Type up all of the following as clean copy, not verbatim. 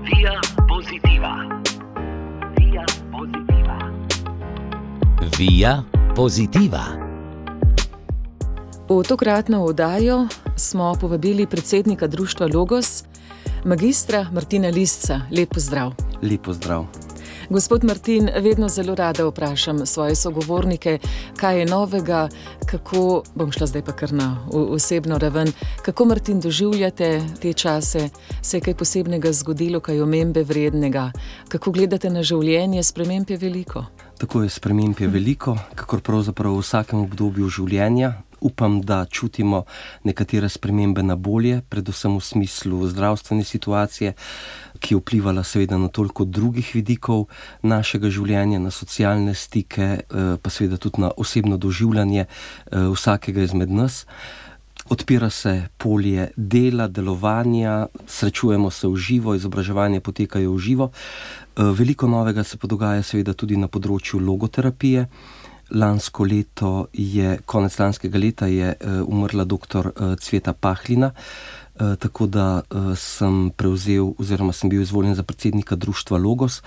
Via Positiva. Via Positiva. Via Positiva. V tokratno oddajo smo povabili predsednika društva Logos, magistra Martina Lisca. Lep pozdrav. Lep pozdrav. Gospod Martin, vedno zelo rada vprašam svoje sogovornike, kaj je novega, kako, bom šla zdaj pa kar na osebno raven, kako, Martin, doživljate te čase, se je kaj posebnega zgodilo, kaj omembe vrednega, kako gledate na življenje, sprememb je veliko? Tako je, sprememb je veliko, kakor pravzaprav v vsakem obdobju življenja. Upam, da čutimo nekatere spremembe na bolje, predvsem v smislu zdravstvene situacije, ki je vplivala seveda na toliko drugih vidikov našega življenja, na socialne stike, pa seveda tudi na osebno doživljanje vsakega izmed nas. Odpira se polje dela, delovanja, srečujemo se v živo, izobraževanje potekajo v živo. Veliko novega se pa dogaja seveda tudi na področju logoterapije. Konec lanskega leta je umrla dr. Cveta Pahlina, tako da sem prevzel oziroma sem bil izvoljen za predsednika društva Logos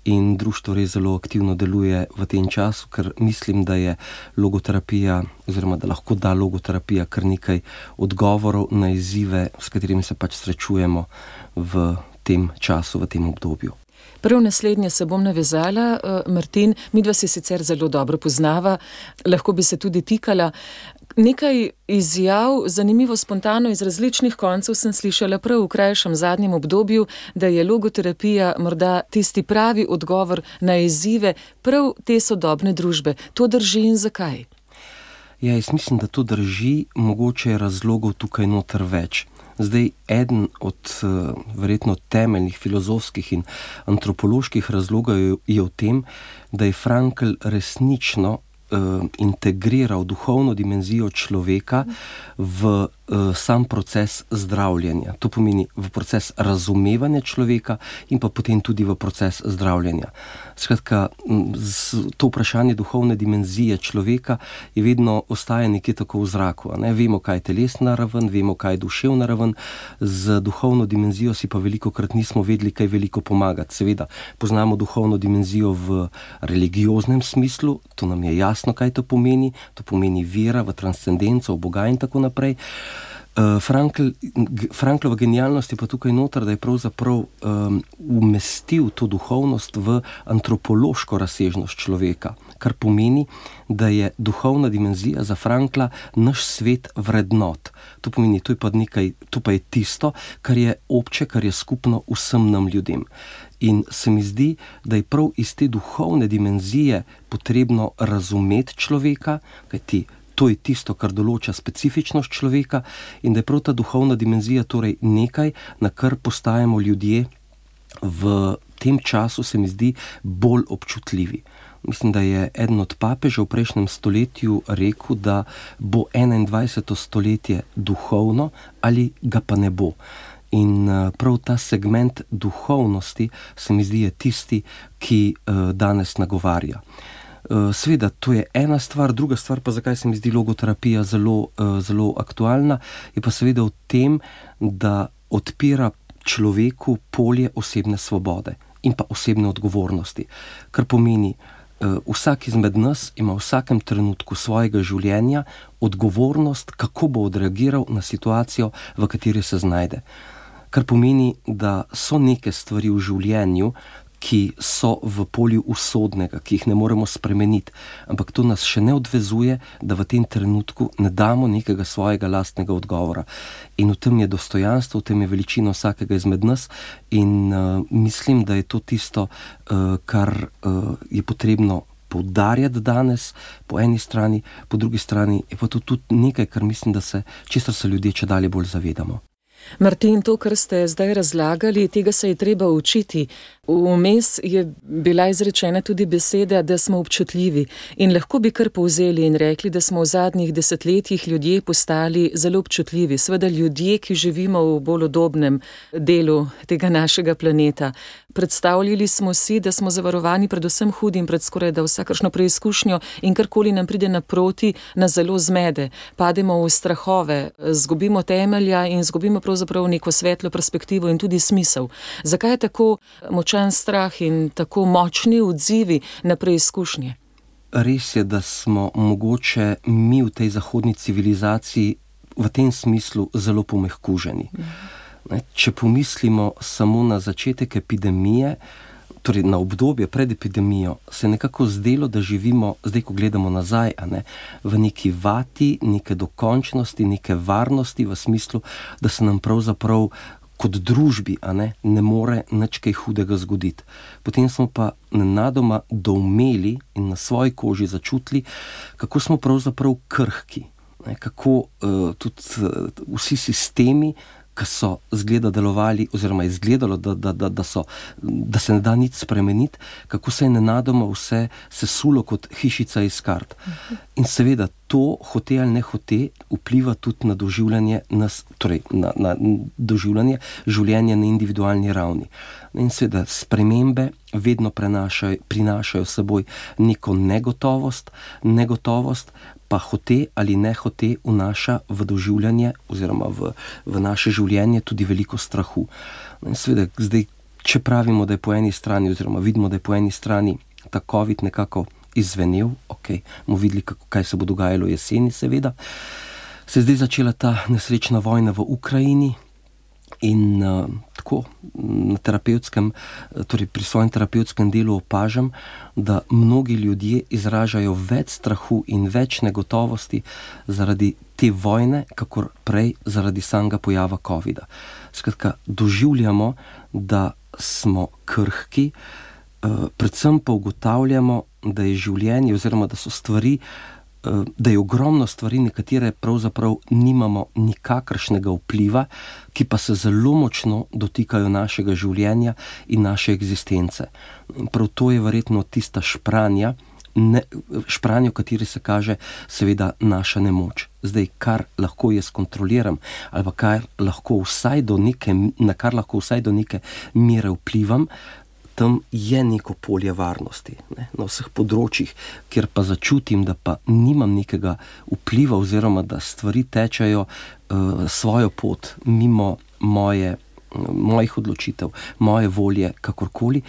in društvo res zelo aktivno deluje v tem času, ker mislim, da je logoterapija oziroma da lahko da logoterapija kar nekaj odgovorov na izzive, s katerimi se pač srečujemo v tem času, v tem obdobju. Prav naslednje se bom navezala, Martin, midva se sicer zelo dobro poznava, lahko bi se tudi tikala. Nekaj izjav, zanimivo spontano iz različnih koncev sem slišala prav v krajšem zadnjem obdobju, da je logoterapija morda tisti pravi odgovor na izzive prav te sodobne družbe. To drži in zakaj? Ja, jaz mislim, da to drži, mogoče je razlogov tukaj noter več. Zdaj, eden od verjetno temeljnih filozofskih in antropoloških razlogov je v tem, da je Frankl resnično integriral duhovno dimenzijo človeka v sam proces zdravljenja. To pomeni v proces razumevanja človeka in pa potem tudi v proces zdravljenja. Skratka, to vprašanje duhovne dimenzije človeka je vedno ostaja nekje tako v zraku. Ne? Vemo, kaj je telesna raven, vemo, kaj je duševna raven, z duhovno dimenzijo si pa velikokrat nismo vedeli, kaj veliko pomagati. Seveda, poznamo duhovno dimenzijo v religioznem smislu, to nam je jasno, kaj to pomeni vera v transcendenco, v Boga in tako naprej. Franklova genialnost je pa tukaj noter, da je pravzaprav umestil to duhovnost v antropološko razsežnost človeka, kar pomeni, da je duhovna dimenzija za Frankla naš svet vrednot. To pomeni, to pa je tisto, kar je obče, kar je skupno vsem nam ljudem. In se mi zdi, da je prav iz te duhovne dimenzije potrebno razumeti človeka, kajti to je tisto, kar določa specifičnost človeka, in da je prav ta duhovna dimenzija torej nekaj, na kar postajamo ljudje v tem času, se mi zdi, bolj občutljivi. Mislim, da je eden od papežev v prejšnjem stoletju rekel, da bo 21. stoletje duhovno ali ga pa ne bo. In prav ta segment duhovnosti se mi zdi je tisti, ki danes nagovarja. Seveda, to je ena stvar, druga stvar pa, zakaj se mi zdi logoterapija zelo aktualna, je pa seveda v tem, da odpira človeku polje osebne svobode in pa osebne odgovornosti. Kar pomeni, vsak izmed nas ima v vsakem trenutku svojega življenja odgovornost, kako bo odreagiral na situacijo, v kateri se znajde. Kar pomeni, da so neke stvari v življenju, ki so v polju usodnega, ki jih ne moremo spremeniti, ampak to nas še ne odvezuje, da v tem trenutku ne damo nekega svojega lastnega odgovora. In v tem je dostojanstvo, v tem je veličina vsakega izmed nas in mislim, da je to tisto, kar je potrebno poudarjati danes, po eni strani, po drugi strani je pa to tudi nekaj, kar mislim, česar se ljudje čedalje bolj zavedamo. Martin, to, kar ste zdaj razlagali, tega se je treba učiti. Vmes je bila izrečena tudi beseda, da smo občutljivi, in lahko bi kar povzeli in rekli, da smo v zadnjih desetletjih ljudje postali zelo občutljivi. Seveda ljudje, ki živimo v bolj udobnem delu tega našega planeta. Predstavljali smo si, da smo zavarovani predvsem hudim pred skoraj da vsakršno preizkušnjo in karkoli nam pride naproti, nas zelo zmede. Pademo v strahove, zgubimo temelja in zgubimo pravzaprav neko svetlo perspektivo in tudi smisel. Zakaj je tako močan strah in tako močni odzivi na preizkušnje? Res je, da smo mogoče mi v tej zahodni civilizaciji v tem smislu zelo pomehkuženi. Če pomislimo samo na začetek epidemije, torej na obdobje pred epidemijo, se je nekako zdelo, da živimo, zdaj ko gledamo nazaj, v neki vati, neke dokončnosti, neke varnosti, v smislu, da se nam pravzaprav kot družbi ne more nič kaj hudega zgoditi. Potem smo pa nenadoma doumeli in na svoji koži začutili, kako smo pravzaprav krhki, kako tudi vsi sistemi, ki so delovali, oziroma izgledalo, da se ne da nič spremeniti, kako se je nenadoma vse sesulo kot hišica iz kart. In seveda to, hote ali ne hote, vpliva tudi na doživljanje nas, torej na doživljanje življenja na individualni ravni. In seveda spremembe vedno prinašajo s seboj neko negotovost, pa hote ali ne hote vnaša v doživljanje oziroma v naše življenje tudi veliko strahu. In seveda, zdaj, če pravimo, da je po eni strani, oziroma vidimo, da je po eni strani ta COVID nekako izzvenel, bomo videli, kaj se bo dogajalo jeseni, seveda, se je zdaj začela ta nesrečna vojna v Ukrajini in tako na terapevtskem, torej pri svojem terapevtskem delu opažam, da mnogi ljudje izražajo več strahu in več negotovosti zaradi te vojne, kakor prej zaradi samega pojava COVID-a. Skratka, doživljamo, da smo krhki, predvsem pa ugotavljamo, da je življenje oziroma da so stvari, da je ogromno stvari, nekatere pravzaprav nimamo nikakršnega vpliva, ki pa se zelo močno dotikajo našega življenja in naše eksistence. In prav to je verjetno tista špranja, v kateri se kaže seveda naša nemoč. Zdaj, kar lahko jaz kontroliram, ali pa na kar lahko vsaj do neke mere vplivam, tam je neko polje varnosti, na vseh področjih, kjer pa začutim, da pa nimam nekega vpliva oziroma da stvari tečejo svojo pot mimo mojih odločitev, moje volje, kakorkoli,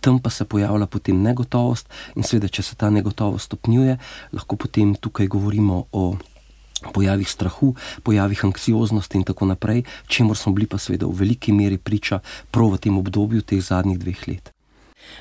tam pa se pojavlja potem negotovost in seveda, če se ta negotovost stopnjuje, lahko potem tukaj govorimo o pojavih strahu, pojavih anksioznosti in tako naprej, čemur smo bili pa seveda v veliki meri priča prav v tem obdobju teh zadnjih 2 let.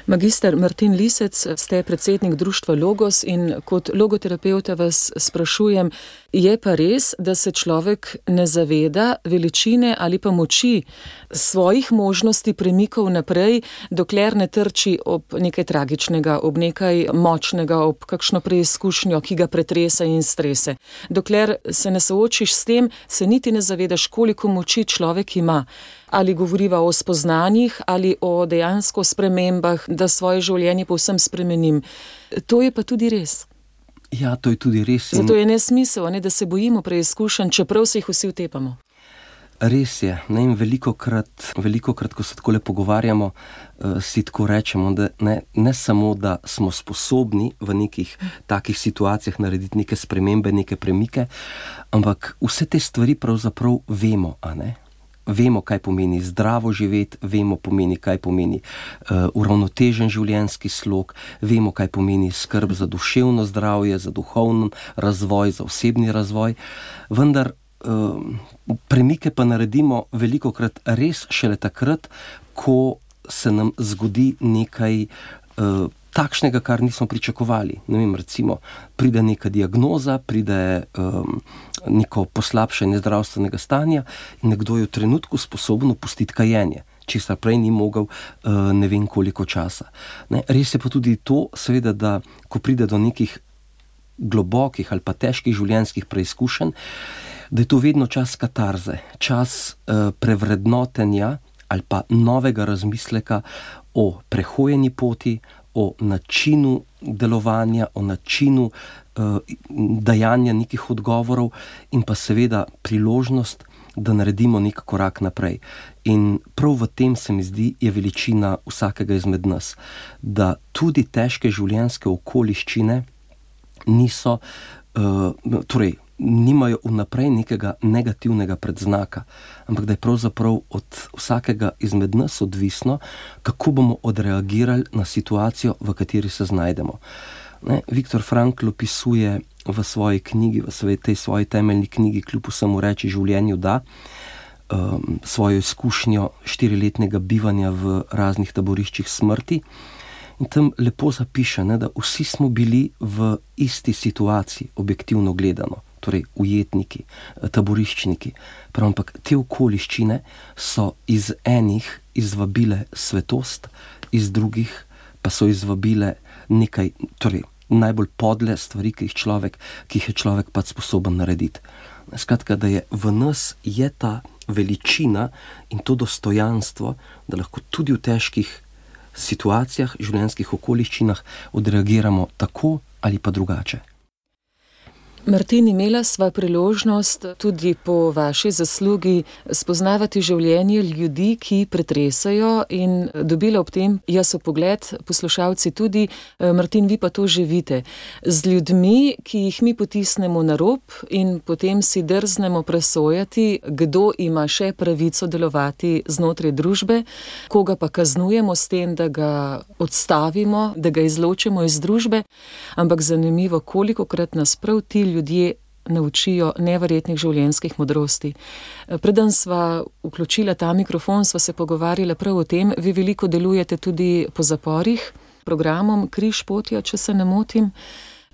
Magister Martin Lisec, ste predsednik društva Logos in kot logoterapevta vas sprašujem, je pa res, da se človek ne zaveda veličine ali pa moči svojih možnosti premikov naprej, dokler ne trči ob nekaj tragičnega, ob nekaj močnega, ob kakšno preizkušnjo, ki ga pretrese in strese. Dokler se ne soočiš s tem, se niti ne zavedaš, koliko moči človek ima. Ali govoriva o spoznanjih ali o dejansko spremembah, da svoje življenje povsem spremenim. To je pa tudi res. Ja, to je tudi res. Zato je nesmisel, da se bojimo preizkušenj, čeprav se jih vsi utepamo. Res je. In velikokrat, ko se takole pogovarjamo, si tako rečemo, da ne samo, da smo sposobni v nekih takih situacijah narediti neke spremembe, neke premike, ampak vse te stvari pravzaprav vemo, Vemo, kaj pomeni zdravo živeti, vemo, kaj pomeni uravnotežen življenjski slog, vemo, kaj pomeni skrb za duševno zdravje, za duhovni razvoj, za osebni razvoj, vendar premike pa naredimo velikokrat res šele takrat, ko se nam zgodi nekaj takšnega, kar nismo pričakovali. Recimo, pride neka diagnoza, pride neko poslabšanje zdravstvenega stanja in nekdo je v trenutku sposoben opustiti kajenje, česar prej ni mogel ne vem koliko časa. Res je pa tudi to, seveda, da ko pride do nekih globokih ali pa težkih življenjskih preizkušenj, da je to vedno čas katarze, čas prevrednotenja ali pa novega razmisleka o prehojeni poti, o načinu delovanja, o načinu dajanja nekih odgovorov in pa seveda priložnost, da naredimo nek korak naprej. In prav v tem, se mi zdi, je veličina vsakega izmed nas, da tudi težke življenjske okoliščine niso, nimajo vnaprej nekega negativnega predznaka, ampak da je pravzaprav od vsakega izmed nas odvisno, kako bomo odreagirali na situacijo, v kateri se znajdemo. Viktor Frankl opisuje v svoji knjigi, tej svoji temeljni knjigi Kljub vsemu reči življenju da, svojo izkušnjo 4-letnega bivanja v raznih taboriščih smrti. In tam lepo zapiše, da vsi smo bili v isti situaciji, objektivno gledano, torej ujetniki, taboriščniki. Prav, ampak te okoliščine so iz enih izvabile svetost, iz drugih pa so izvabile nekaj, torej najbolj podle stvari, ki jih je človek pač sposoben narediti. Skratka, da je v nas je ta veličina in to dostojanstvo, da lahko tudi v težkih situacijah, življenjskih okoliščinah odreagiramo tako ali pa drugače. Martin, imela sva priložnost tudi po vaši zaslugi spoznavati življenje ljudi, ki pretresajo, in dobila ob tem jaz vpogled, poslušalci tudi, Martin, vi pa to živite. Z ljudmi, ki jih mi potisnemo na rob in potem si drznemo presojati, kdo ima še pravico delovati znotraj družbe, koga pa kaznujemo s tem, da ga odstavimo, da ga izločimo iz družbe, ampak zanimivo, kolikokrat nas prav ti ljudje naučijo neverjetnih življenjskih modrosti. Preden sva vključila ta mikrofon, sva se pogovarjala prav o tem. Vi veliko delujete tudi po zaporih, programom Križ potja, če se ne motim,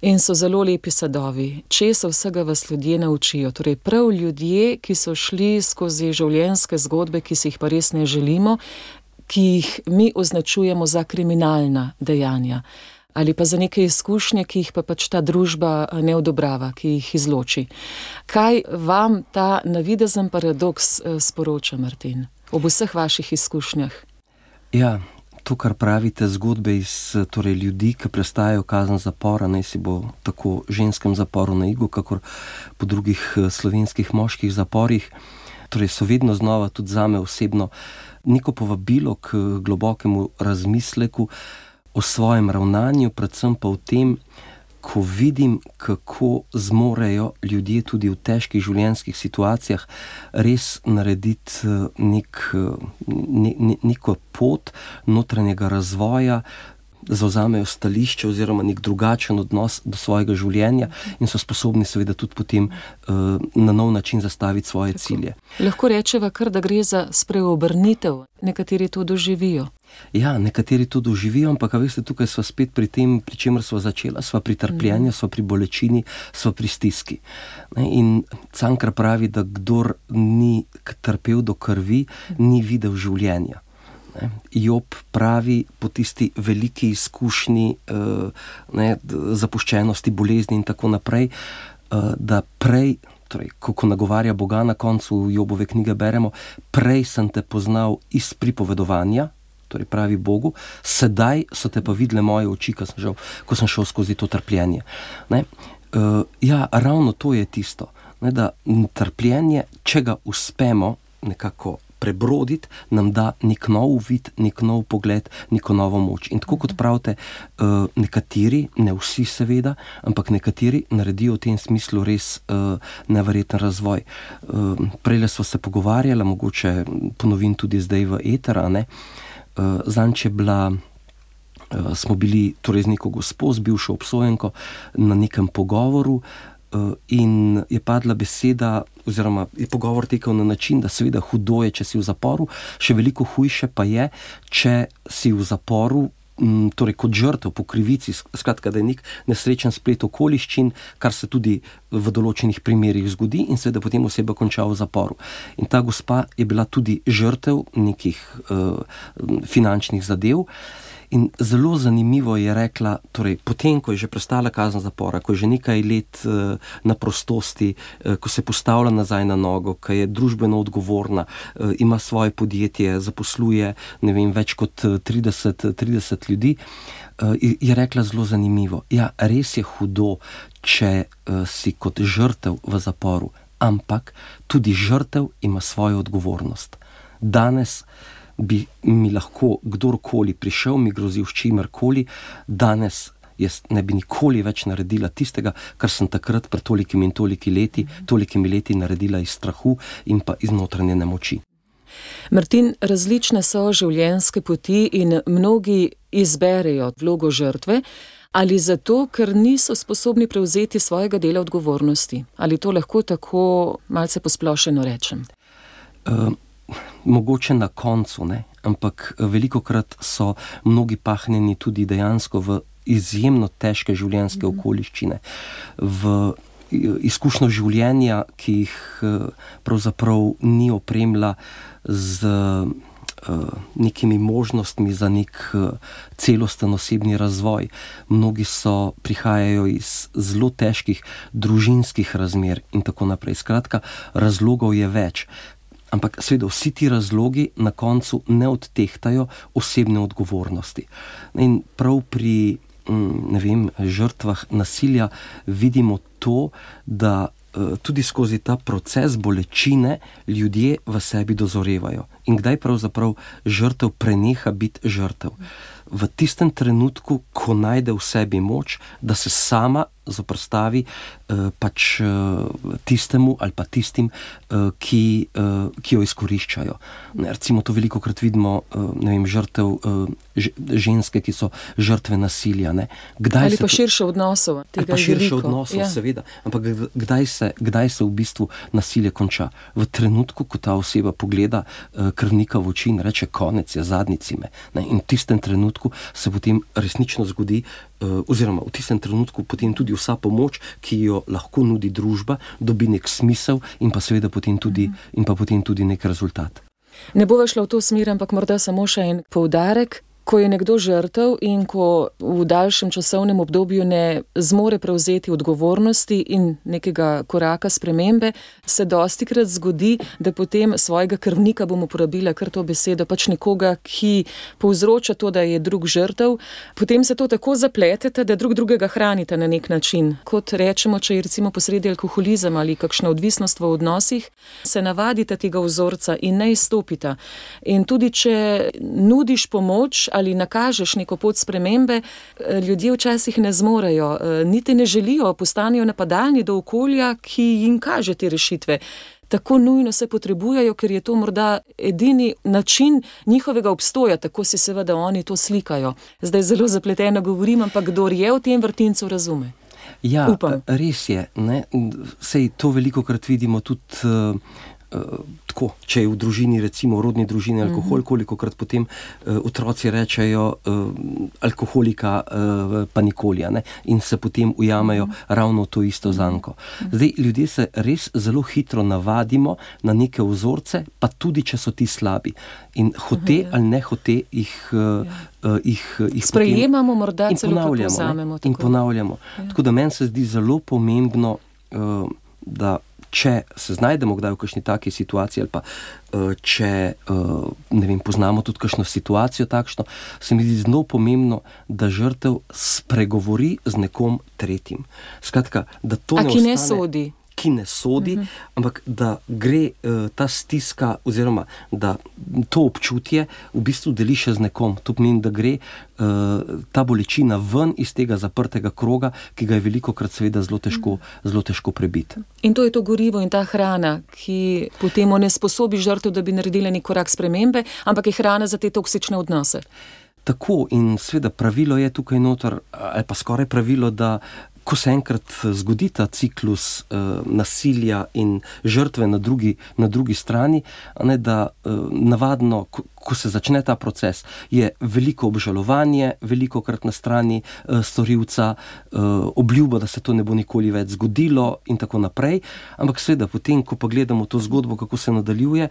in so zelo lepi sadovi. Česa vsega vas ljudje naučijo? Torej prav ljudje, ki so šli skozi življenjske zgodbe, ki si jih pa res ne želimo, ki jih mi označujemo za kriminalna dejanja. Ali pa za neke izkušnje, ki jih pa pač ta družba ne odobrava, ki jih izloči. Kaj vam ta navidezen paradoks sporoča, Martin, ob vseh vaših izkušnjah? Ja, to, kar pravite, zgodbe iz ljudi, ki prestajajo kazen zapora, naj si bo tako v ženskem zaporu na Igu, kakor po drugih slovenskih moških zaporih, so vedno znova tudi zame osebno neko povabilo k globokemu razmisleku o svojem ravnanju, predvsem pa v tem, ko vidim, kako zmorejo ljudje tudi v težkih življenjskih situacijah res narediti neko pot notranjega razvoja, zavzamejo stališče oziroma nek drugačen odnos do svojega življenja in so sposobni seveda tudi potem na nov način zastaviti svoje cilje. Lahko rečeva kar, da gre za spreobrnitev. Nekateri to doživijo. Ja, nekateri to doživijo, ampak veste, tukaj sva spet pri tem, pri čemer sva začela, sva pri trpljenju, sva pri bolečini, sva pri stiski. In Cankar pravi, da kdor ni trpel do krvi, ni videl življenja. Job pravi po tisti veliki izkušnji zapuščenosti, bolezni in tako naprej, da prej, ko nagovarja Boga na koncu Jobove knjige beremo, prej sem te poznal iz pripovedovanja, pravi Bogu, sedaj so te pa videle moje oči, ko sem šel skozi to trpljenje. Ja, ravno to je tisto, da trpljenje, če ga uspemo nekako prebroditi, nam da nek nov uvid, nek nov pogled, neko novo moč. In tako kot pravite, nekateri, ne vsi seveda, ampak nekateri naredijo v tem smislu res neverjeten razvoj. Prejle smo se pogovarjali, mogoče ponovim tudi zdaj v eter, zanč je bila, smo bili z neko gospo, z bivšo obsojenko na nekem pogovoru in je padla beseda, oziroma je pogovor tekel na način, da seveda hudo je, če si v zaporu, še veliko hujše pa je, če si v zaporu, kot žrtev po krivici, skratka, da je nek nesrečen splet okoliščin, kar se tudi v določenih primerih zgodi in seveda potem oseba konča v zaporu. In ta gospa je bila tudi žrtev nekih finančnih zadev. In zelo zanimivo je rekla, potem, ko je že prestala kazen zapora, ko je že nekaj let na prostosti, ko se postavlja nazaj na nogo, ko je družbeno odgovorna, ima svoje podjetje, zaposluje, več kot 30 ljudi, je rekla zelo zanimivo. Ja, res je hudo, če si kot žrtev v zaporu, ampak tudi žrtev ima svojo odgovornost. Danes bi mi lahko kdorkoli prišel, mi grozil s čimerkoli, danes jaz ne bi nikoli več naredila tistega, kar sem takrat pred tolikimi in tolikimi leti naredila iz strahu in pa iz notranje nemoči. Martin, različne so življenjske poti in mnogi izberejo vlogo žrtve, ali zato, ker niso sposobni prevzeti svojega dela odgovornosti. Ali to lahko tako malce posplošeno rečem? Mogoče na koncu, ne? Ampak velikokrat so mnogi pahnjeni tudi dejansko v izjemno težke življenjske okoliščine, v izkušnjo življenja, ki jih pravzaprav ni opremila z nekimi možnostmi za nek celosten osebni razvoj. Mnogi prihajajo iz zelo težkih družinskih razmer in tako naprej. Skratka, razlogov je več. Ampak seveda vsi ti razlogi na koncu ne odtehtajo osebne odgovornosti. In prav pri žrtvah nasilja vidimo to, da tudi skozi ta proces bolečine ljudje v sebi dozorevajo. In kdaj pravzaprav žrtev preneha biti žrtev? V tistem trenutku, ko najde v sebi moč, da se sama zoprstavi tistemu ali pa tistim, ki jo izkoriščajo. Recimo to velikokrat vidimo, žrtev ženske, ki so žrtve nasilja. Ali pa širše odnosov. Ali pa širše odnosov, seveda. Ampak kdaj se v bistvu nasilje konča? V trenutku, ko ta oseba pogleda krvnika v oči in reče, konec je, zadnjici me. In v tistem trenutku se potem resnično zgodi, oziroma v tistem trenutku potem tudi vsa pomoč, ki jo lahko nudi družba, dobi nek smisel in pa seveda potem tudi nek rezultat. Ne bova šla v to smer, ampak morda samo še en poudarek. Ko je nekdo žrtev in ko v daljšem časovnem obdobju ne zmore prevzeti odgovornosti in nekega koraka spremembe, se dostikrat zgodi, da potem svojega krvnika, bom uporabila kar to besedo, nekoga, ki povzroča to, da je drug žrtev, potem se to tako zapletete, da drugega hranite na nek način. Kot rečemo, če je recimo posredi alkoholizem ali kakšna odvisnost v odnosih, se navadite tega vzorca in ne izstopite. In tudi, če nudiš pomoč ali nakažeš neko pot spremembe, ljudje včasih ne zmorejo, niti ne želijo, postanejo napadalni do okolja, ki jim kaže te rešitve. Tako nujno se potrebujejo, ker je to morda edini način njihovega obstoja, tako si seveda oni to slikajo. Zdaj zelo zapleteno govorim, ampak kdor je v tem vrtincu, razume. Ja, upam. Res je. Sej to velikokrat vidimo tudi tako, če je v družini, recimo v rodni družini alkohol, kolikokrat potem otroci rečejo alkoholika pa nikolja, in se potem ujamejo ravno to isto zanko. Zdaj, ljudje se res zelo hitro navadimo na neke vzorce, pa tudi, če so ti slabi. In hote ali ne hote jih sprejemamo, morda celo povzamemo. In ponavljamo. Tako da meni se zdi zelo pomembno, da če se znajdemo kdaj v kakšni taki situaciji ali pa če poznamo tudi kakšno situacijo takšno, se mi zdi zelo pomembno, da žrtev spregovori z nekom tretjim. Skratka, da to ne ostane... ki ne sodi, ampak da gre ta stiska oziroma da to občutje v bistvu deli še z nekom. To pomeni, da gre ta bolečina ven iz tega zaprtega kroga, ki ga je velikokrat seveda zelo težko prebiti. In to je to gorivo in ta hrana, ki potem onesposobi žrtev, da bi naredila nek korak spremembe, ampak je hrana za te toksične odnose. Tako, in seveda pravilo je tukaj noter, ali pa skoraj pravilo, da ko se enkrat zgodi ta ciklus nasilja in žrtve na drugi strani, da navadno, ko se začne ta proces, je veliko obžalovanje, velikokrat na strani storilca, obljuba, da se to ne bo nikoli več zgodilo in tako naprej. Ampak seveda potem, ko pa gledamo to zgodbo, kako se nadaljuje,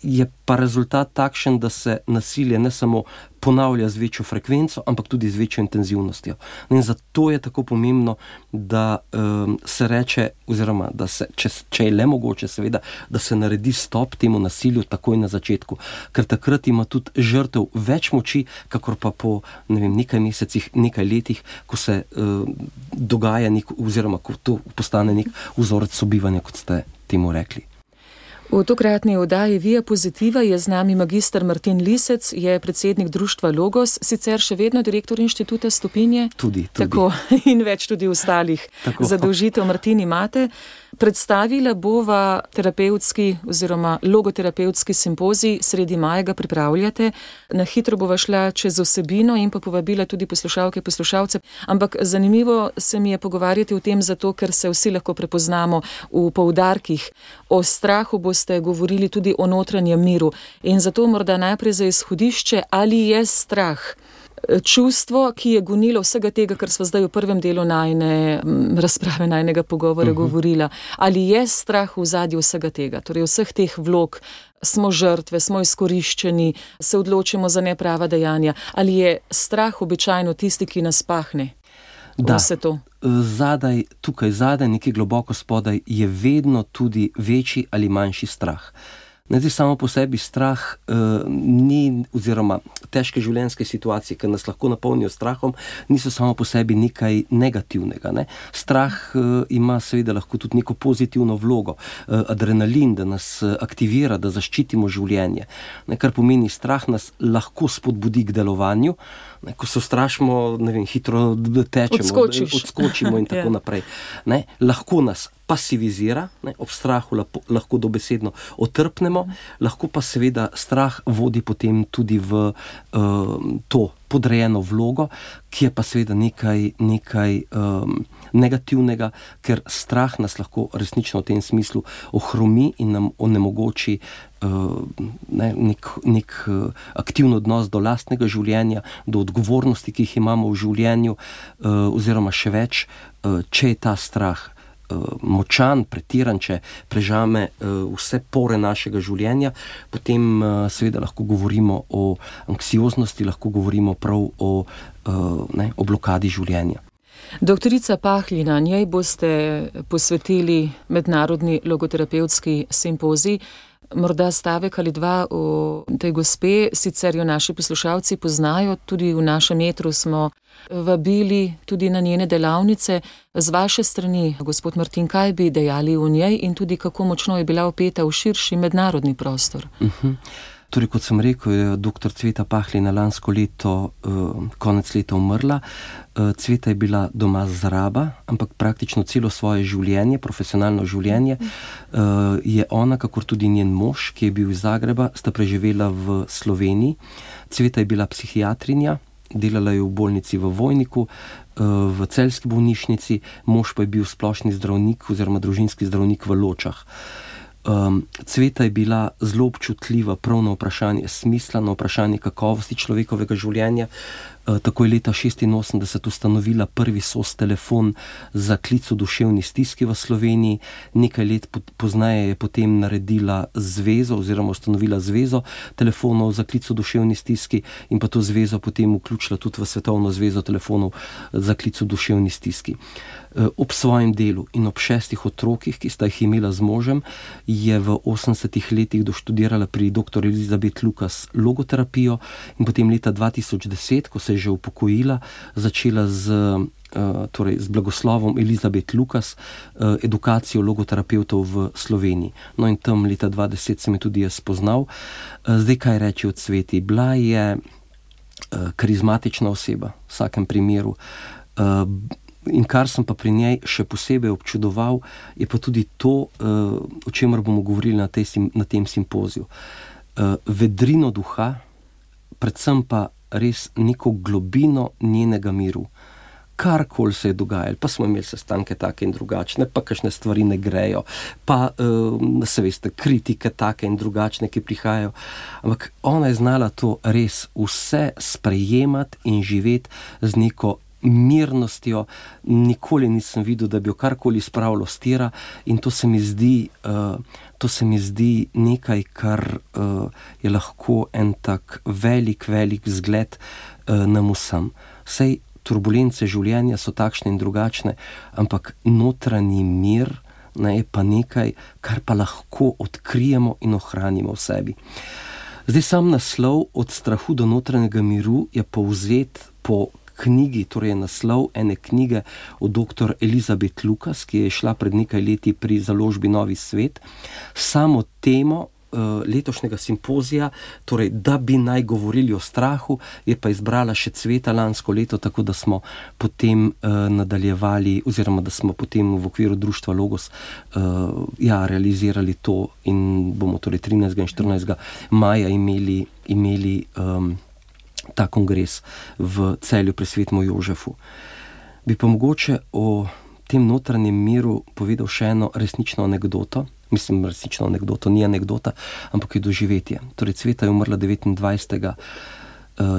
je pa rezultat takšen, da se nasilje ne samo ponavlja z večjo frekvenco, ampak tudi z večjo intenzivnostjo. In zato je tako pomembno, da se reče, oziroma da se, če je le mogoče seveda, da se naredi stop temu nasilju takoj na začetku. Ker takrat ima tudi žrtev več moči, kakor pa po nekaj mesecih, nekaj letih, ko se dogaja oziroma ko to postane nek vzorec sobivanja, kot ste temu rekli. V tokratni oddaji Via Pozitiva je z nami magister Martin Lisec, je predsednik društva Logos, sicer še vedno direktor inštituta Stopinje. Tudi. Tako, in več tudi ostalih zadolžitev. Martin, imate. Predstavila bova terapevtski oziroma logoterapevtski simpozij, sredi maja ga pripravljate. Na hitro bova šla čez vsebino in pa povabila tudi poslušalke, poslušalce. Ampak zanimivo se mi je pogovarjati o tem zato, ker se vsi lahko prepoznamo v poudarkih. O strahu boste govorili tudi o notranjem miru. In zato morda najprej za izhodišče, ali je strah čustvo, ki je gonilo vsega tega, kar sva zdaj v prvem delu najine razprave, najnega pogovora govorila. Ali je strah v ozadju vsega tega, torej vseh teh vlog, smo žrtve, smo izkoriščeni, se odločimo za neprava dejanja. Ali je strah običajno tisti, ki nas pahne? Da, vse to? Tukaj zadaj, nekje globoko spodaj, je vedno tudi večji ali manjši strah. Zdaj, samo po sebi strah ni, oziroma težke življenjske situacije, ki nas lahko napolnijo strahom, niso samo po sebi nekaj negativnega. Ne? Strah ima seveda lahko tudi neko pozitivno vlogo. Adrenalin, da nas aktivira, da zaščitimo življenje. Ne? Kar pomeni, strah nas lahko spodbudi k delovanju. Ne? Ko se ustrašimo, hitro tečemo, odskočimo in tako naprej. Ne? Lahko nas pasivizira, ne, ob strahu lahko dobesedno otrpnemo, lahko pa seveda strah vodi potem tudi v to podrejeno vlogo, ki je pa seveda nekaj negativnega, ker strah nas lahko resnično v tem smislu ohromi in nam onemogoči nek aktivni odnos do lastnega življenja, do odgovornosti, ki jih imamo v življenju, oziroma še več, če je ta strah močan, pretiran, če prežame vse pore našega življenja, potem seveda lahko govorimo o anksioznosti, lahko govorimo prav o blokadi življenja. Doktorica Pahlina, njej boste posvetili mednarodni logoterapevtski simpozij. Morda stavek ali dva o tej gospe, sicer jo naši poslušalci poznajo, tudi v našem etru smo vabili tudi na njene delavnice. Z vaše strani, gospod Martin, kaj bi dejali o njej in tudi kako močno je bila vpeta v širši mednarodni prostor? Torej, kot sem rekel, je dr. Cveta Pahlina lansko leto, konec leta umrla. Cveta je bila doma z Raba, ampak praktično celo svoje življenje, profesionalno življenje, je ona, kakor tudi njen mož, ki je bil iz Zagreba, sta preživela v Sloveniji. Cveta je bila psihiatrinja, delala je v bolnici v Vojniku, v celjski bolnišnici, mož pa je bil splošni zdravnik oziroma družinski zdravnik v Ločah. Cveta je bila zelo občutljiva prav na vprašanje smisla, na vprašanje kakovosti človekovega življenja. Tako je leta 1986 ustanovila prvi SOS telefon za klic v duševni stiski v Sloveniji. Nekaj let pozneje je potem naredila zvezo oziroma ustanovila zvezo telefonov za klic v duševni stiski in pa to zvezo potem vključila tudi v Svetovno zvezo telefonov za klic v duševni stiski. Ob svojem delu in ob 6 otrokih, ki sta jih imela z možem, je v 80 letih doštudirala pri dr. Elizabeth Lucas logoterapijo in potem leta 2010, ko se je že upokojila, začela z blagoslovom Elizabeth Lucas edukacijo logoterapevtov v Sloveniji. No in tam leta 2010 sem je tudi jaz spoznal. Zdaj, kaj reči o Cveti? Bila je karizmatična oseba, v vsakem primeru. In kar sem pa pri njej še posebej občudoval, je pa tudi to, o čemer bomo govorili na tem simpoziju. Vedrino duha, predvsem pa res neko globino njenega miru. Karkoli se je dogajalo, pa smo imeli sestanke take in drugačne, pa kakšne stvari ne grejo, pa se veste, kritike take in drugačne, ki prihajajo. Ampak ona je znala to res vse sprejemati in živeti z neko mirnostjo. Nikoli nisem videl, da bi jo karkoli spravilo s tira in to se mi zdi nekaj, kar je lahko en tak velik zgled nam vsem. Sej turbulence življenja so takšne in drugačne, ampak notranji mir je pa nekaj, kar pa lahko odkrijemo in ohranimo v sebi. Zdaj sam naslov Od strahu do notranjega miru je povzet po knjigi, torej je naslov ene knjige od dr. Elizabeth Lucas, ki je šla pred nekaj leti pri založbi Novi svet. Samo temo letošnjega simpozija, torej da bi naj govorili o strahu, je pa izbrala še Cveta lansko leto, tako da smo potem nadaljevali, oziroma da smo potem v okviru društva Logos realizirali to in bomo torej 13. in 14. maja imeli ta kongres v Celju pri Svetem Jožefu. Bi pa mogoče o tem notranjem miru povedal še eno resnično anekdoto. Mislim, resnično anekdoto, ni anekdota, ampak je doživetje. Torej, Cveta je umrla 29.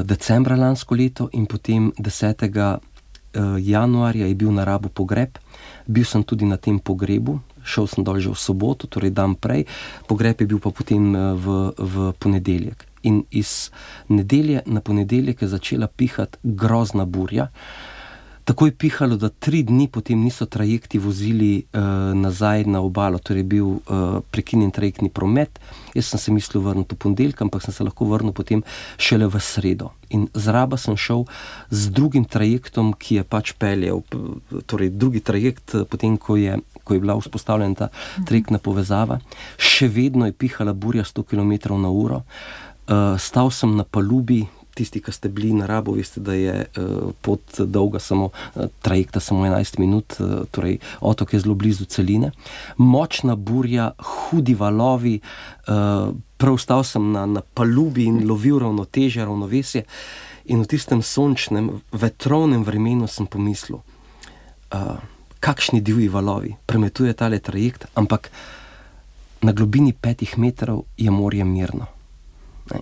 decembra lansko leto in potem 10. januarja je bil na Rabu pogreb. Bil sem tudi na tem pogrebu, šel sem dol že v soboto, torej dan prej, pogreb je bil pa potem v ponedeljek. In iz nedelje na ponedeljek je začela pihati grozna burja. Tako je pihalo, da 3 dni potem niso trajekti vozili nazaj na obalo, torej je bil prekinjen trajektni promet. Jaz sem se mislil vrniti v ponedeljek, ampak sem se lahko vrnil potem šele v sredo. In z Raba sem šel z drugim trajektom, ki je pač peljal, torej drugi trajekt, potem ko je bila vzpostavljena ta trajektna povezava. Še vedno je pihala burja 100 km/h. Stal sem na palubi. Tisti, ki ste bili na Rabu, veste, da je pot dolga samo, trajekta samo 11 minut, torej otok je zelo blizu celine. Močna burja, hudi valovi, prav stal sem na palubi in lovil ravnotežje, ravnovesje in v tistem sončnem, vetrovnem vremenu sem pomislil, kakšni divji valovi, premetuje tale trajekt, ampak na globini 5 metrov je morje mirno.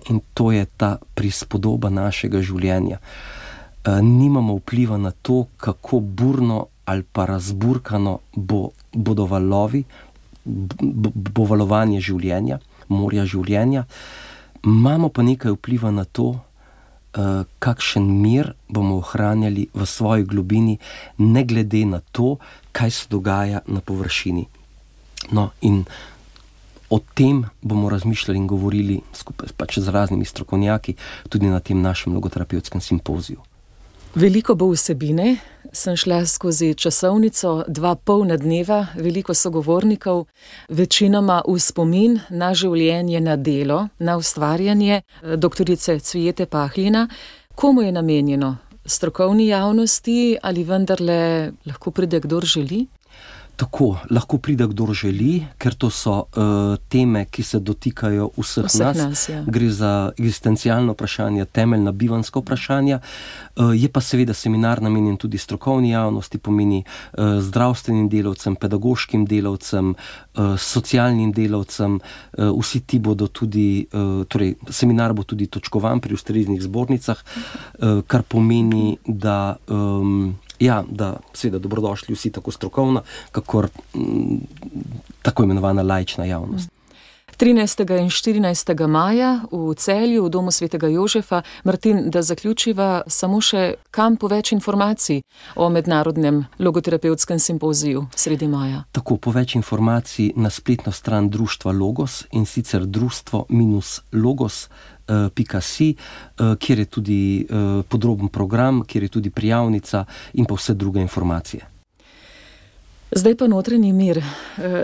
In to je ta prispodoba našega življenja. Nimamo vpliva na to, kako burno ali pa razburkano bodo valovi, bo valovanje življenja, morja življenja. Imamo pa nekaj vpliva na to, kakšen mir bomo ohranjali v svoji globini, ne glede na to, kaj se dogaja na površini. No, in o tem bomo razmišljali in govorili skupaj pač z raznimi strokovnjaki tudi na tem našem logoterapevtskem simpoziju. Veliko bo vsebine. Sem šla skozi časovnico 2 polna dneva, veliko sogovornikov, večinoma v spomin na življenje, na delo, na ustvarjanje doktorice Cvijete Pahlina. Komu je namenjeno? Strokovni javnosti ali vendarle lahko pride kdor želi? Tako, lahko pride kdor želi, ker to so teme, ki se dotikajo vseh nas. Ja. Gre za eksistencialno vprašanje, temeljna bivanjska vprašanja. Je pa seveda seminar namenjen tudi strokovni javnosti, pomeni zdravstvenim delavcem, pedagoškim delavcem, socialnim delavcem. Vsi ti bodo tudi, torej seminar bo tudi točkovan pri ustreznih zbornicah, kar pomeni, da seveda dobrodošli vsi, tako strokovna, kakor tako imenovana laična javnost. 13. in 14. maja v Celju, v domu Svetega Jožefa. Martin, da zaključiva samo še, kam po več informacij o mednarodnem logoterapevtskem simpoziju sredi maja. Tako, po več informacij na spletno stran društva Logos, in sicer društvo-logos.si, kjer je tudi podroben program, kjer je tudi prijavnica in pa vse druge informacije. Zdaj pa notranji mir.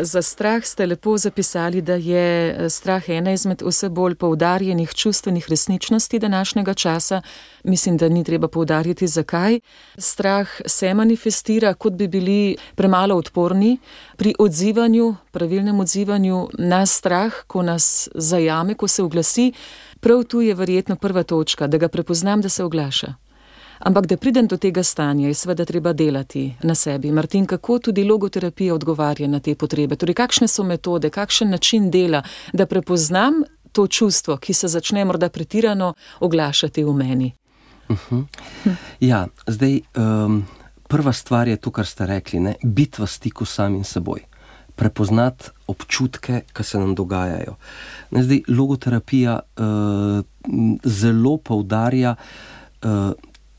Za strah ste lepo zapisali, da je strah ena izmed vse bolj poudarjenih čustvenih resničnosti današnjega časa. Mislim, da ni treba poudarjati, zakaj. Strah se manifestira, kot bi bili premalo odporni pri odzivanju, pravilnem odzivanju na strah, ko nas zajame, ko se oglasi. Prav tu je verjetno prva točka, da ga prepoznam, da se oglaša. Ampak da pridem do tega stanja, je seveda treba delati na sebi. Martin, kako tudi logoterapija odgovarja na te potrebe? Torej, kakšne so metode, kakšen način dela, da prepoznam to čustvo, ki se začne morda pretirano oglašati v meni? Ja, zdaj, prva stvar je to, kar ste rekli, ne? Biti v stiku samim seboj. Prepoznati občutke, ki se nam dogajajo. Zdaj, logoterapija zelo poudarja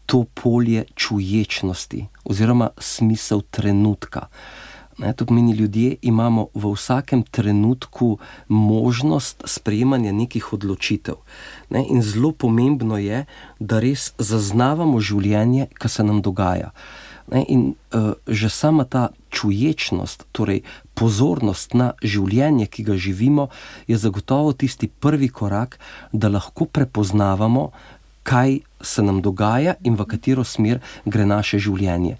to polje čuječnosti oziroma smisel trenutka. To pomeni, ljudje imamo v vsakem trenutku možnost sprejemanja nekih odločitev. In zelo pomembno je, da res zaznavamo življenje, ki se nam dogaja. In že sama ta čuječnost, torej pozornost na življenje, ki ga živimo, je zagotovo tisti prvi korak, da lahko prepoznavamo, kaj se nam dogaja in v katero smer gre naše življenje.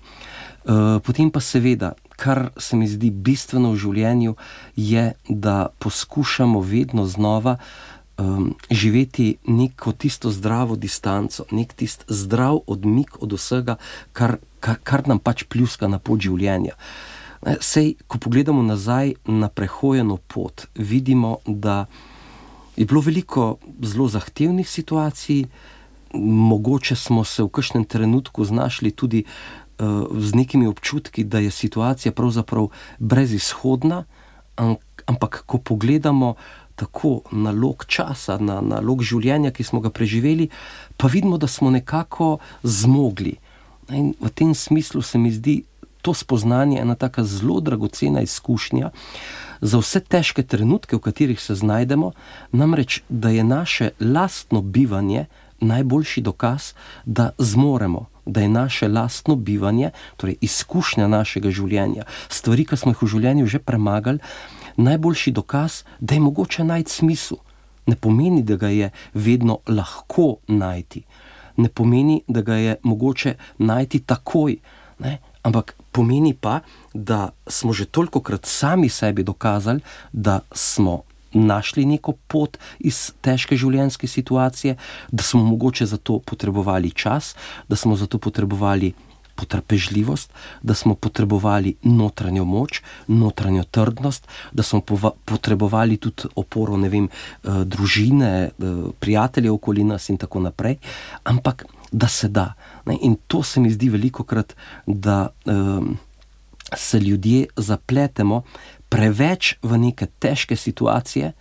Potem pa seveda, kar se mi zdi bistveno v življenju, je, da poskušamo vedno znova živeti neko tisto zdravo distanco, nek tist zdrav odmik od vsega, kar nam pač pljuska na pot življenja. Sej, ko pogledamo nazaj na prehojeno pot, vidimo, da je bilo veliko zelo zahtevnih situacij, mogoče smo se v kakšnem trenutku znašli tudi z nekimi občutki, da je situacija pravzaprav brezizhodna, ampak ko pogledamo tako na lok časa, na lok življenja, ki smo ga preživeli, pa vidimo, da smo nekako zmogli. In v tem smislu se mi zdi to spoznanje ena taka zelo dragocena izkušnja za vse težke trenutke, v katerih se znajdemo, namreč, da je naše lastno bivanje najboljši dokaz, da zmoremo, da je naše lastno bivanje, torej izkušnja našega življenja, stvari, ki smo jih v življenju že premagali, najboljši dokaz, da je mogoče najti smisel. Ne pomeni, da ga je vedno lahko najti. Ne pomeni, da ga je mogoče najti takoj, ampak pomeni pa, da smo že tolikokrat sami sebi dokazali, da smo našli neko pot iz težke življenjske situacije, da smo mogoče za to potrebovali čas, da smo za to potrebovali potrpežljivost, da smo potrebovali notranjo moč, notranjo trdnost, da smo potrebovali tudi oporo, družine, prijateljev okoli nas in tako naprej, ampak da se da. In to se mi zdi velikokrat, da se ljudje zapletemo preveč v neke težke situacije,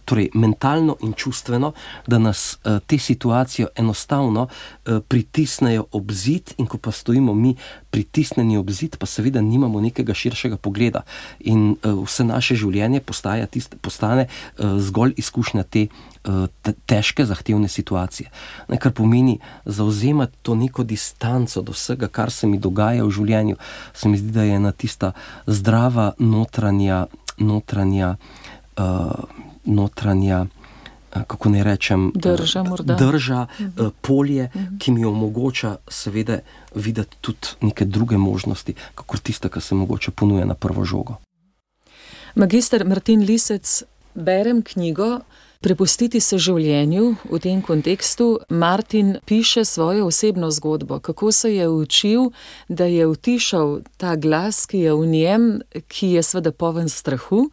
torej mentalno in čustveno, da nas te situacije enostavno pritisnejo ob zid, in ko pa stojimo mi pritisnjeni ob zid, pa seveda nimamo nekega širšega pogleda in vse naše življenje postane zgolj izkušnja te težke, zahtevne situacije. Kar pomeni zavzemati to neko distanco do vsega, kar se mi dogaja v življenju. Se mi zdi, da je ena tista zdrava notranja, kako ne rečem, drža, polje, ki mi omogoča seveda videti tudi neke druge možnosti, kakor tista, ki se mogoče ponuja na prvo žogo. Magister Martin Lisec, berem knjigo Prepustiti se življenju. V tem kontekstu Martin piše svojo osebno zgodbo, kako se je učil, da je utišal ta glas, ki je v njem, ki je seveda poln strahu.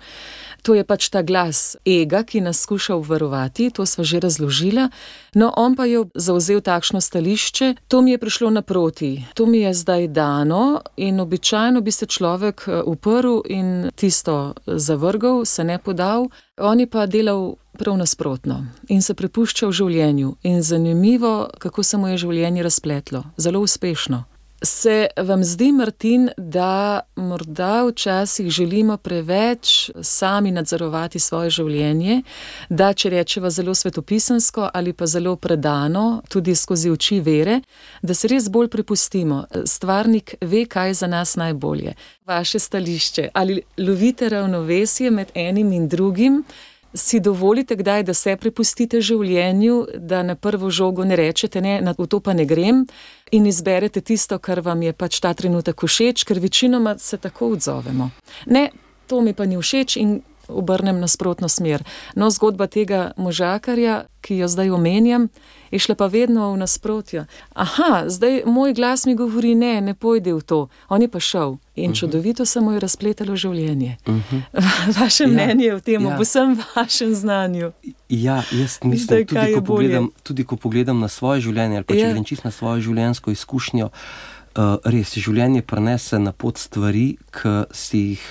To je pač ta glas ega, ki nas skuša obvarovati, to sva že razložila. No, on pa je zavzel takšno stališče, to mi je prišlo naproti, to mi je zdaj dano in običajno bi se človek uprl in tisto zavrgal, se ne podal. On je pa delal prav nasprotno in se prepuščal življenju. In zanimivo, kako se mu je življenje razpletlo, zelo uspešno. Se vam zdi, Martin, da morda včasih želimo preveč sami nadzorovati svoje življenje, da če rečeva zelo svetopisansko ali pa zelo predano, tudi skozi oči vere, da se res bolj prepustimo. Stvarnik ve, kaj je za nas najbolje. Vaše stališče, ali lovite ravnovesje med enim in drugim? Si dovolite kdaj, da se prepustite življenju, da na prvo žogo ne rečete ne, v to pa ne grem in izberete tisto, kar vam je pač ta trenutek všeč, ker večinoma se tako odzovemo. Ne, to mi pa ni všeč in obrnem nasprotno smer. No, zgodba tega možakarja, ki jo zdaj omenjam, je šla pa vedno v nasprotju. Aha, zdaj moj glas mi govori ne pojdi v to. On je pa šel in čudovito se mu je razpletalo življenje. Vaše mnenje o tem, ob vsem vašem znanju. Ja, jaz mislim, tudi ko pogledam na svoje življenje, ali pa če grem čisto na svojo življenjsko izkušnjo, res, življenje prenese na pot stvari, ki si jih,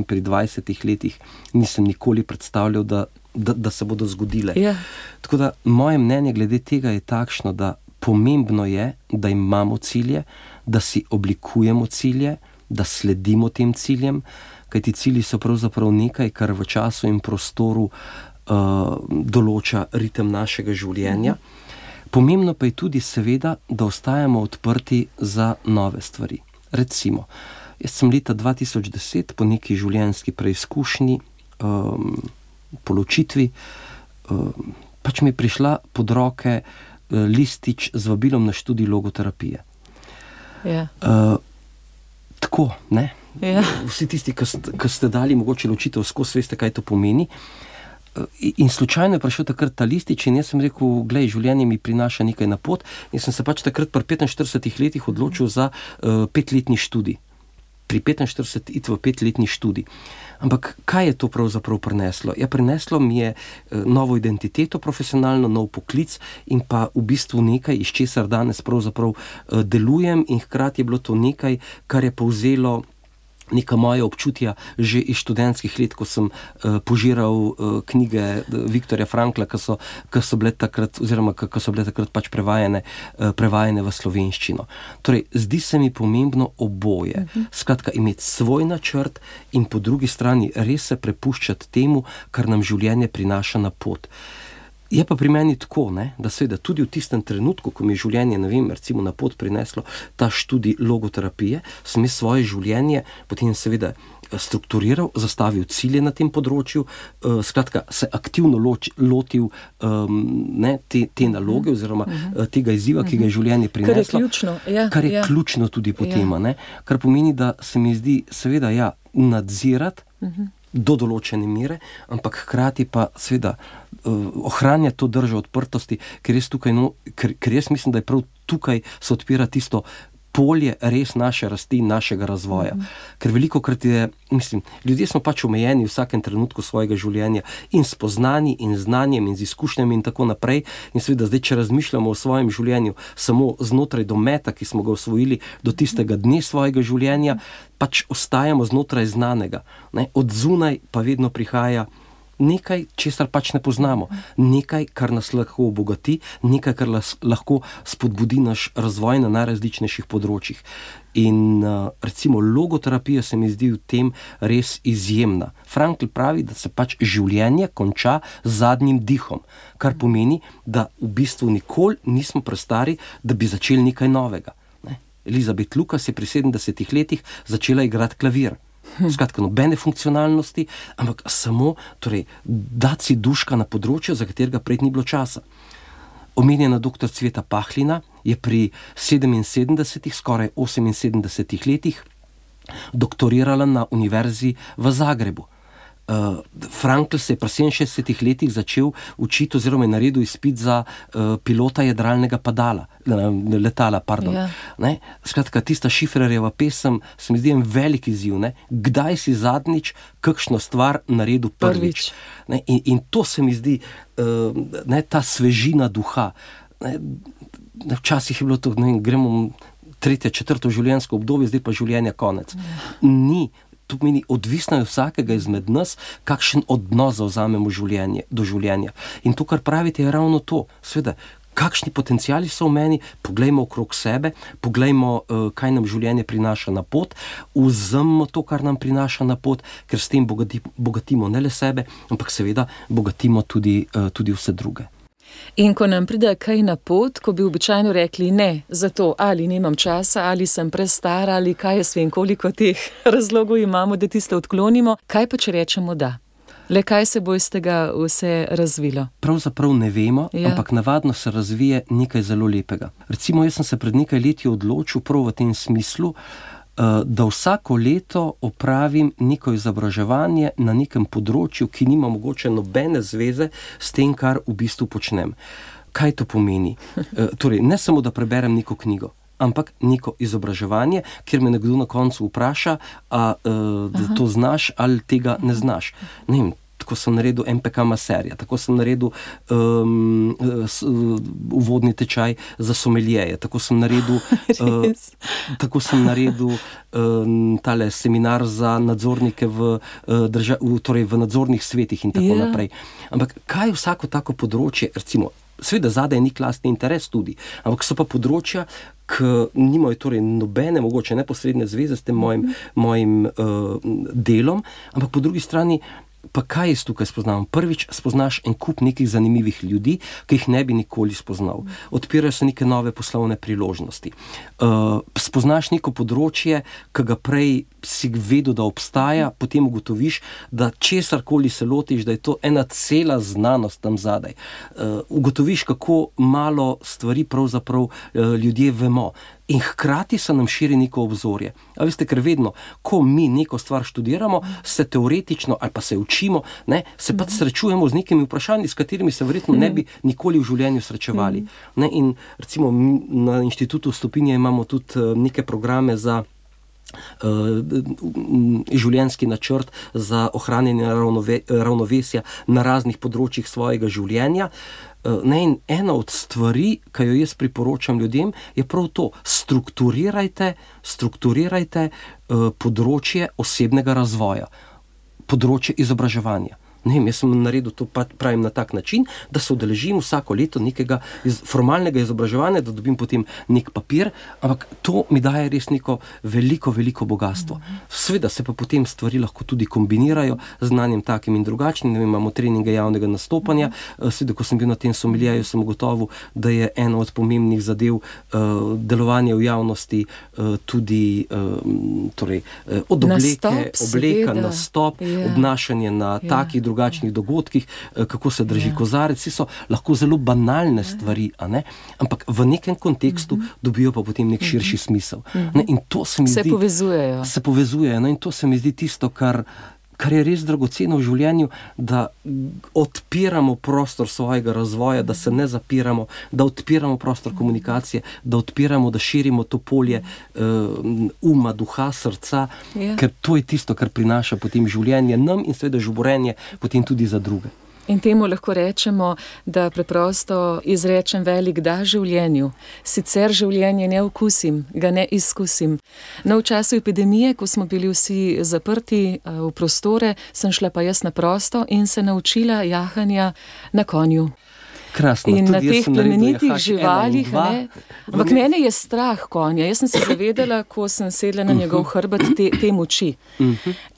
pri 20 letih nisem nikoli predstavljal, da se bodo zgodile. Yeah. Tako da moje mnenje glede tega je takšno, da pomembno je, da imamo cilje, da si oblikujemo cilje, da sledimo tem ciljem, kajti cilji so pravzaprav nekaj, kar v času in prostoru določa ritem našega življenja. Pomembno pa je tudi seveda, da ostajamo odprti za nove stvari. Recimo, jaz sem leta 2010 po neki življenjski preizkušnji, po ločitvi, pač mi je prišla pod roke listič z vabilom na študij logoterapije. Ja. Tako, ne? Ja. Vsi tisti, ki ste dali mogoče ločitev skozi, veste, kaj to pomeni. In slučajno je prišel takrat ta listič in jaz sem rekel, glej, življenje mi prinaša nekaj na pot in sem se pač takrat pri 45 letih odločil za 5-letni študij. Pri 45 iti v 5-letni študij. Ampak kaj je to pravzaprav prineslo? Ja, prineslo mi je novo identiteto profesionalno, nov poklic in pa v bistvu nekaj, iz česar danes pravzaprav delujem in hkrati je bilo to nekaj, kar je povzelo neka moja občutja že iz študentskih let, ko sem požiral knjige Viktorja Frankla, ki so bile takrat, oziroma ki so bile takrat pač prevajane v slovenščino. Torej, zdi se mi pomembno oboje. Skratka, imeti svoj načrt in po drugi strani res se prepuščati temu, kar nam življenje prinaša na pot. Je pa pri meni tako, ne, da seveda tudi v tistem trenutku, ko mi je življenje, ne vem, recimo na pot prineslo ta študij logoterapije, sem svoje življenje potem seveda strukturiral, zastavil cilje na tem področju, skratka se aktivno lotil te naloge oziroma tega izziva, ki ga je življenje prineslo. Kar je ključno. Ja, kar je ključno tudi potem, ne, kar pomeni, da se mi zdi seveda nadzirati do določene mere, ampak hkrati pa seveda ohranja to držo odprtosti, ker jaz mislim, da je prav tukaj se odpira tisto polje res naše rasti in našega razvoja. Ker velikokrat ljudje smo pač omejeni v vsakem trenutku svojega življenja in spoznani in znanjem in z izkušnjami in tako naprej. In seveda zdaj, če razmišljamo o svojem življenju samo znotraj dometa, ki smo ga osvojili do tistega dne svojega življenja, pač ostajamo znotraj znanega. Ne? Od zunaj pa vedno prihaja nekaj, česar pač ne poznamo. Nekaj, kar nas lahko obogati, nekaj, kar lahko spodbudi naš razvoj na najrazličnejših področjih. In recimo logoterapija se mi zdi v tem res izjemna. Frankl pravi, da se pač življenje konča z zadnjim dihom, kar pomeni, da v bistvu nikoli nismo prestari, da bi začeli nekaj novega. Ne? Elizabeth Lucas je pri 70 letih začela igrati klavir. Skratka, nobene funkcionalnosti, ampak samo dati si duška na področju, za katerega prej ni bilo časa. Omenjena dr. Cveta Pahlina je pri 77, skoraj 78 letih doktorirala na univerzi v Zagrebu. Frankl se je pri 67 letih začel učiti oziroma je naredil izpit za pilota jadralnega letala. Ja. Skratka, tista Šifrerjeva pesem se mi zdi en velik izziv. Ne? Kdaj si zadnjič kakšno stvar naredil prvič? In to se mi zdi ta svežina duha. Včasih je bilo to, gremo 3., 4. življenjsko obdobje, zdaj pa življenja konec. Ni. To pomeni, odvisno je vsakega izmed nas, kakšen odnos zavzamemo do življenja. In to, kar pravite, je ravno to. Sveda, kakšni potenciali so v meni, poglejmo okrog sebe, poglejmo, kaj nam življenje prinaša na pot, vzemimo to, kar nam prinaša na pot, ker s tem bogatimo ne le sebe, ampak seveda bogatimo tudi vse druge. In ko nam pride kaj na pot, ko bi običajno rekli ne, zato ali nimam časa, ali sem prestara, ali kaj jaz vem, koliko teh razlogov imamo, da tiste odklonimo, kaj pa če rečemo da? Le kaj se bo iz tega vse razvilo? Pravzaprav ne vemo, ampak navadno se razvije nekaj zelo lepega. Recimo, jaz sem se pred nekaj leti odločil prav v tem smislu, da vsako leto opravim neko izobraževanje na nekem področju, ki nima mogoče nobene zveze s tem, kar v bistvu počnem. Kaj to pomeni? Torej, ne samo, da preberem neko knjigo, ampak neko izobraževanje, kjer me nekdo na koncu vpraša, da to znaš ali tega ne znaš. Ne vem, tako sem naredil MPK maserja, tako sem naredil uvodni tečaj za someljeje, tako sem naredil tale seminar za nadzornike v nadzornih svetih in tako naprej. Ampak kaj vsako tako področje, recimo Seveda zadaj ni klasni interes tudi, ampak so pa področja, ki nimajo torej nobene, mogoče neposredne zveze s tem mojim delom, ampak po drugi strani pa kaj jaz tukaj spoznavam? Prvič spoznaš en kup nekih zanimivih ljudi, ki jih ne bi nikoli spoznal. Odpirajo se neke nove poslovne priložnosti. Spoznaš neko področje, ki ga prej si vedel, da obstaja, potem ugotoviš, da česarkoli se lotiš, da je to ena cela znanost tam zadaj. Ugotoviš, kako malo stvari pravzaprav ljudje vemo. In hkrati se nam širi neko obzorje. A veste, ker vedno, ko mi neko stvar študiramo, se teoretično ali pa se učimo, se pa srečujemo z nekimi vprašanji, s katerimi se verjetno ne bi nikoli v življenju srečevali. In recimo na Inštitutu Stopinje imamo tudi neke programe za življenjski načrt za ohranjanje ravnovesja na raznih področjih svojega življenja. In ena od stvari, ki jo jaz priporočam ljudem, je prav to. Strukturirajte področje osebnega razvoja, področje izobraževanja. Jaz sem naredil to, pravim, na tak način, da se udeležim vsako leto nekega formalnega izobraževanja, da dobim potem nek papir, ampak to mi daje res neko veliko bogatstvo. Seveda se pa potem stvari lahko tudi kombinirajo z znanjem takim in drugačnim. Imamo treninge javnega nastopanja. Seveda, ko sem bil na tem someljeju, sem ugotovil, da je ena od pomembnih zadev delovanja v javnosti tudi od obleka, nastop, obnašanje na takih drugačnih dogodkih, kako se drži kozarec, so lahko zelo banalne stvari, ampak v nekem kontekstu dobijo pa potem nek širši smisel. In to se mi zdi... Se povezujejo. In to se mi zdi tisto, kar je res dragoceno v življenju, da odpiramo prostor svojega razvoja, da se ne zapiramo, da odpiramo prostor komunikacije, da odpiramo, da širimo to polje uma, duha, srca, ker to je tisto, kar prinaša potem življenje nam in seveda žuborenje potem tudi za druge. In temu lahko rečemo, da preprosto izrečem velik da življenju. Sicer življenje ne okusim, ga ne izkusim. No, v času epidemije, ko smo bili vsi zaprti v prostore, sem šla pa jaz na prosto in se naučila jahanja na konju. Krasno, in na teh plemenitih živalih, ampak mene je strah konja. Jaz sem se zavedala, ko sem sedla na njegov hrbet, te moči.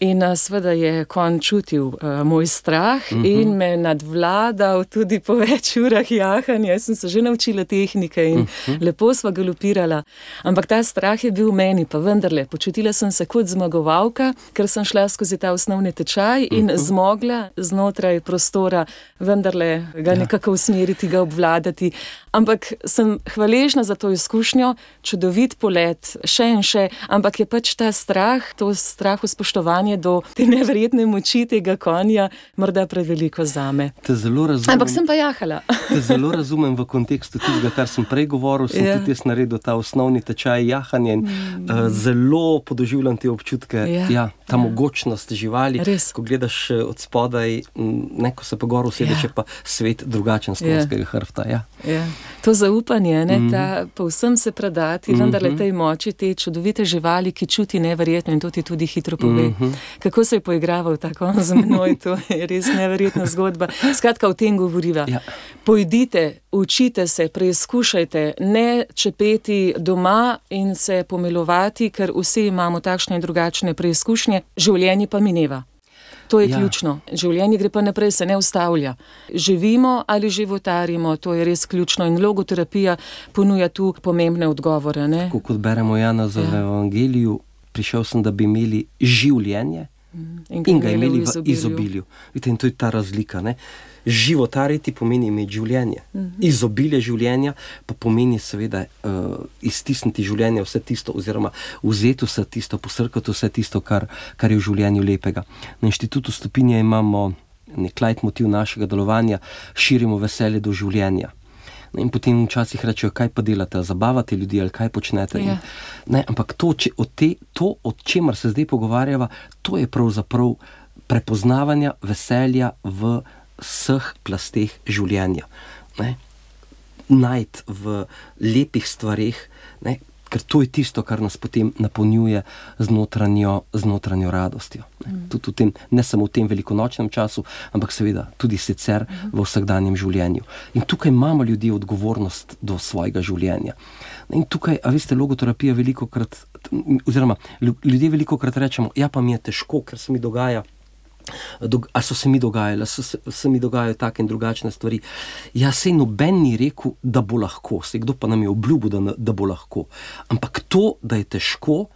In seveda je konj čutil moj strah in me nadvladal tudi po več urah jahanja. Jaz sem se že naučila tehnike in lepo sva galopirala. Ampak ta strah je bil v meni, pa vendarle, počutila sem se kot zmagovalka, ker sem šla skozi ta osnovni tečaj in zmogla znotraj prostora vendarle ga nekako usmeriti, ga obvladati. Ampak sem hvaležna za to izkušnjo, čudovit polet, še in še, ampak je pač ta strah, to strahu spoštovanje do te neverjetne moči tega konja, morda preveliko zame. Te zelo razumem. Ampak sem pa jahala. Te zelo razumem v kontekstu tistega, kar sem prej govoril, sem tudi jaz naredil ta osnovni tečaj jahanja in zelo podoživljam te občutke, ta mogočnost živali, ko gledaš od spodaj, ko se pa gor usedeš, je pa svet drugačen z konjskega hrbta. To zaupanje, ta povsem se predati, vendarle tej moči, te čudovite živali, ki čuti neverjetno in to ti tudi hitro pove. Kako se je poigraval ta konj z menoj, to je res neverjetna zgodba. Skratka, o tem govoriva. Pojdite, učite se, preizkušajte, ne čepeti doma in se pomilovati, ker vsi imamo takšne in drugačne preizkušnje, življenje pa mineva. To je ključno. Življenje gre pa naprej, se ne ustavlja. Živimo ali životarimo, to je res ključno in logoterapija ponuja tu pomembne odgovore. Tako kot beremo Jana v Evangeliju, prišel sem, da bi imeli življenje in ga imeli v izobilju. Vidite, in to je ta razlika. Životariti pomeni imeti življenje. Izobilje življenja pa pomeni seveda iztisniti življenje, vse tisto, oziroma vzeti vse tisto, posrkati vse tisto, kar je v življenju lepega. Na Inštitutu Stopinje imamo nek leitmotiv našega delovanja, širimo veselje do življenja. In potem včasih rečejo, kaj pa delate, zabavate ljudi ali kaj počnete. Ampak to, o čemer se zdaj pogovarjava, to je pravzaprav prepoznavanja veselja v vseh plasteh življenja. Najti v lepih stvareh Ker to je tisto, kar nas potem napolnjuje z notranjo radostjo. Tudi v tem, ne samo v tem velikonočnem času, ampak seveda tudi sicer v vsakdanjem življenju. In tukaj imamo ljudje odgovornost do svojega življenja. In tukaj, a veste, logoterapija velikokrat, oziroma ljudje velikokrat rečemo, ja, pa mi je težko, ker se mi dogaja, a so se mi dogajale, se mi dogajajo take in drugačne stvari. Ja, sej noben ni rekel, da bo lahko, sej kdo pa nam je obljubil, da bo lahko. Ampak to, da je težko,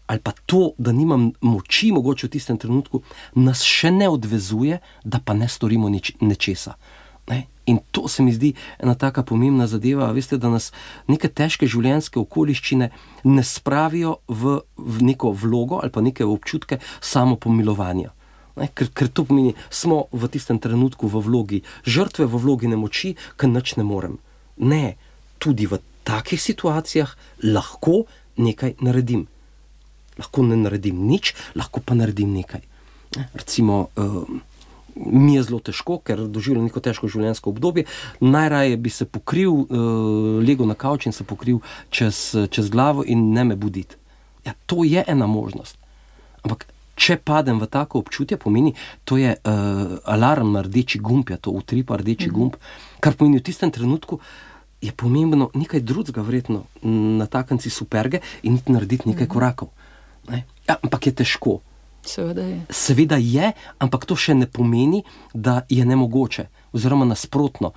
ali pa to, da nimam moči mogoče v tistem trenutku, nas še ne odvezuje, da pa ne storimo nečesa. Ne? In to se mi zdi ena taka pomembna zadeva, veste, da nas neke težke življenjske okoliščine ne spravijo v neko vlogo ali pa neke občutke samopomilovanja. Ker to pomeni, smo v tistem trenutku v vlogi žrtve, v vlogi nemoči, ker nič ne morem. Ne, tudi v takih situacijah lahko nekaj naredim. Lahko ne naredim nič, lahko pa naredim nekaj. Recimo, mi je zelo težko, ker doživljam neko težko življenjsko obdobje, najraje bi se pokril, legel na kavč in se pokril čez glavo in ne me buditi. Ja, to je ena možnost. Ampak če padem v tako občutje, pomeni, to je alarm na rdeči gumb, je to utripa rdeči gumb, kar pomeni v tistem trenutku je pomembno nekaj drugega verjetno natakniti superge in narediti nekaj korakov. Ne? Ja, ampak je težko. Seveda je, ampak to še ne pomeni, da je nemogoče. Oziroma nasprotno,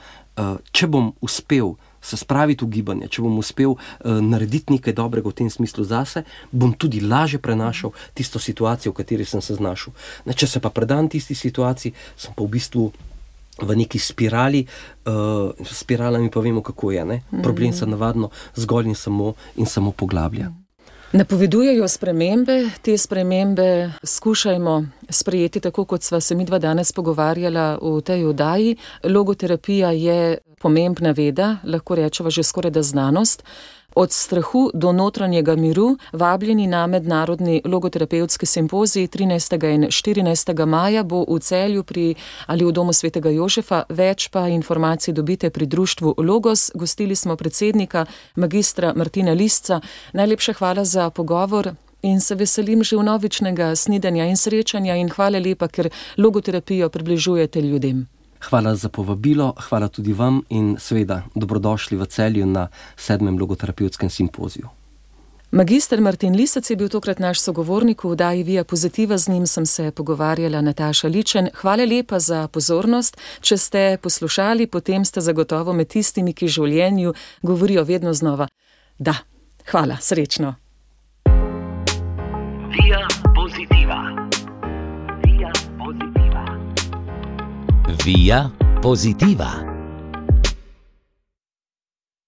če bom uspel se spraviti v gibanje, če bom uspel narediti nekaj dobrega v tem smislu zase, bom tudi lažje prenašal tisto situacijo, v kateri sem se znašel. Če se pa predam tisti situaciji, sem pa v bistvu v neki spirali, spiralami pa vemo, kako je. Ne? Problem se navadno zgolj in samo poglablja. Napovedujejo spremembe, te spremembe skušajmo sprejeti tako, kot sva se midva danes pogovarjala v tej oddaji. Logoterapija je pomembna veda, lahko rečeva že skoraj da znanost. Od strahu do notranjega miru, vabljeni na mednarodni logoterapevtski simpozij 13. in 14. maja bo v Celju ali v Domu svetega Jožefa, več pa informacij dobite pri društvu Logos. Gostili smo predsednika, magistra Martina Lisca. Najlepša hvala za pogovor in se veselim že vnovičnega snidenja in srečanja in hvala lepa, ker logoterapijo približujete ljudem. Hvala za povabilo, hvala tudi vam in seveda dobrodošli v Celju na 7. logoterapevtskem simpoziju. Magister Martin Lisec je bil tokrat naš sogovornik v oddaji Via Pozitiva, z njim sem se pogovarjala Nataša Ličen. Hvala lepa za pozornost. Če ste poslušali, potem ste zagotovo med tistimi, ki življenju govorijo vedno znova. Da, hvala, srečno. Via Pozitiva. Via Pozitiva. Via Pozitiva.